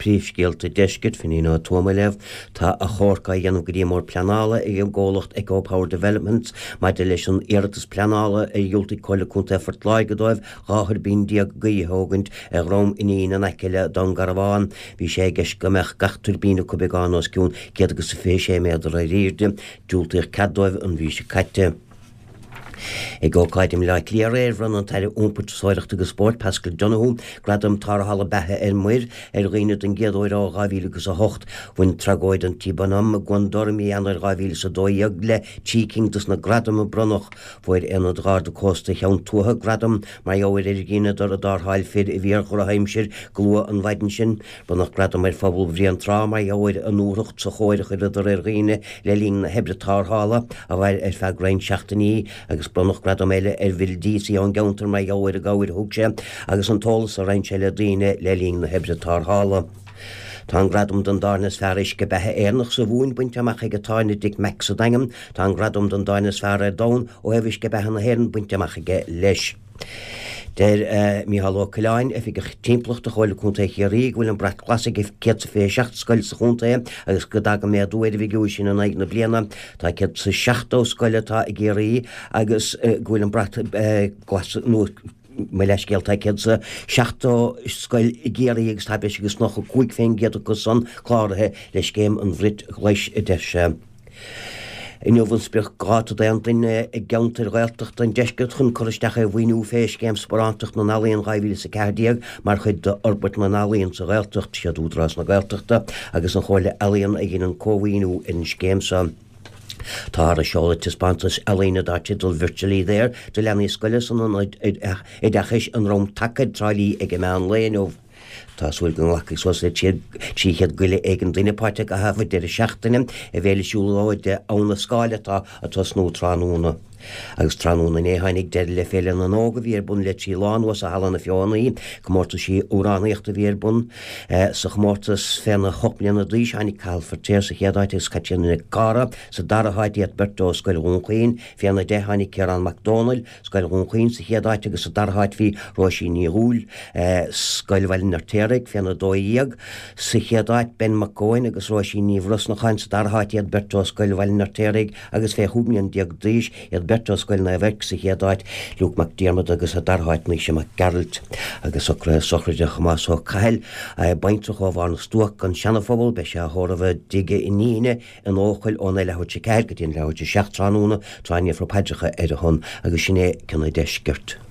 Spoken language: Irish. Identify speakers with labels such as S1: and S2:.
S1: Príomhscéalta Deiscirt, Finín Ó Tuama ag léamh. Tá achomharc á dhéanamh go dtí an mBord Pleanála ag an gcomhlacht Eco Power Developments maidir leis an iarratas pleanála ar dhiúltaigh Comhairle Contae Phort Láirge dóibh 12 thuirbín gaoithe a thógaint ar Dhrom Fhínín in aice le Dún Garbhán. Bhí sé i gceist go mbeadh gach tuirbín acu beagán os cionn 126 méadar ar airde. Diúltaíodh cead dóibh an mhí seo caite. Ag ócáid i mBaile Átha Cliath aréir, bhronn an tAire Iompair, Turasóireachta agus Spóirt, Paschal Donohoe, Gradam Tarrthála Beatha ar Muir ar dhaoine don gcéad uair ó 2008. Bhain tragóid an T-Bonhomme i gCuan Dor i mí Eanáir 2012 le 3 cinn dos na gradaim a bronnadh. Fuair Aonad Gharda Cósta Cheann Tuaithe gradam mar gheall ar ar dheineadar i dtarrtháil fir a bhí ar dhrochaimsir go luath an mhaidin sin. Bronnadh gradam ar phobal Bhréantrá mar gheall ar a ndúthracht sa chóir a chuireadar ar dhaoine le linn na hoibre tarrthála, a mhair ar feadh roinnt seachtainí, agus bronnadh gradam eile ar Bhill Deasy ón gceantar mar gheall ar an gcabhair a thug sé agus an t-eolas a roinn sé le daoine le linn na hoibre tarrthála. Tá an gradam don dtábhairne is fearr uisce beatha Éireannach sa Mhumhain bainte amach ag an tábhairne Dick Mack sa Daingean. Tá an gradam don dtábhairne is fearr ar domhan ó thaobh uisce beatha na hÉireann bainte amach aige leis. Deir Mícheál Ó Coileáin, Oifigeach Timpeallachta Chomhairle Contae Chiarraí, go bhfuil an Brat Glas ag 127 scoil sa chontae agus go dtagann méadú ar an bhfigiúr sin in aghaidh na bliana. Tá 170 scoil atá i gCiarraí agus go bhfuil an Brat Glas nó mo leithscéal, tá 170 scoil i gCiarraí agus tá breis agus 95% acu san cláraithe le scéim an Bhrait Ghlais, a deir sé. Inniu an spriocdháta d'aon duine i gceantair Ghaeltachta an deiscirt chun cur isteach ar mhaoiniú fé Scéim Sparántacht na nEalaíon 2014 mar chuid d'fhorbairt na n-ealaíon sa Ghaeltacht. Siad Údarás na Gaeltachta agus an Chomhairle Ealaíon a dheineann cómhaoiniú ar an scéim seo. Táthar ag seoladh taispeántas ealaíne dar teideal Virtually There do leanaí scoile san Ionad Oideachais i nDroim Taca i dTrá Lí ag an meán lae inniu. Tá súil go nglacfaidh suas le 300 goile éigin duine páirt i gcaitheamh an deireadh seachtaine i bhFéile Siúlóide Abhainn na Scáil atá ag tosnú tráthnóna. Agus tráthnóna inné tháinig deireadh le Féile na nÓg a bhí ar bun le 3 lá anuas i Halla na Feothanaí. Comórtaisí amhránaíochta a bhí ar bun. Sa chomórtas féna hocht mbliana d'aois tháinig Cathal Feirtéar sa chéad áit agus Caitríona Nic Cártha sa dara háit, iad beirt ó Scoil Dhún Chaoin. Féna 10 tháinig Ciarán Mac Dónaill, Scoil Dhún Chaoin sa chéad áit agus sa dara háit bhí Róisín Ní Dhúill, Scoil Bhaile an Fheirtéaraigh, féna 12. Sa chéad áit, Ben Mac Eoin agus Róisín Ní Bhrosnacháin sa dara háit, iad beirt ó Scoil Bhaile an Fheirtéaraigh agus fé chúig mbliana déag d'aois, iad beirt ó Scoil Naomh Eirc sa chéad áit, Luke Mac Diarmada agus sa dara háit Naoise Mac Gearailt. Agus socruithe sochraide Thomáis Ó Cathail, baintreach ó Bharr na Stuac, An Seanaphobal, beidh sé á thórramh i dtigh a iníne, in Eochaill ón leathuair tar éis 4 go dtí an leathuair tar éis 7 tráthnóna, tráth a ndéarfar paidreacha ar a shon, agus sin é cionn an deiscirt.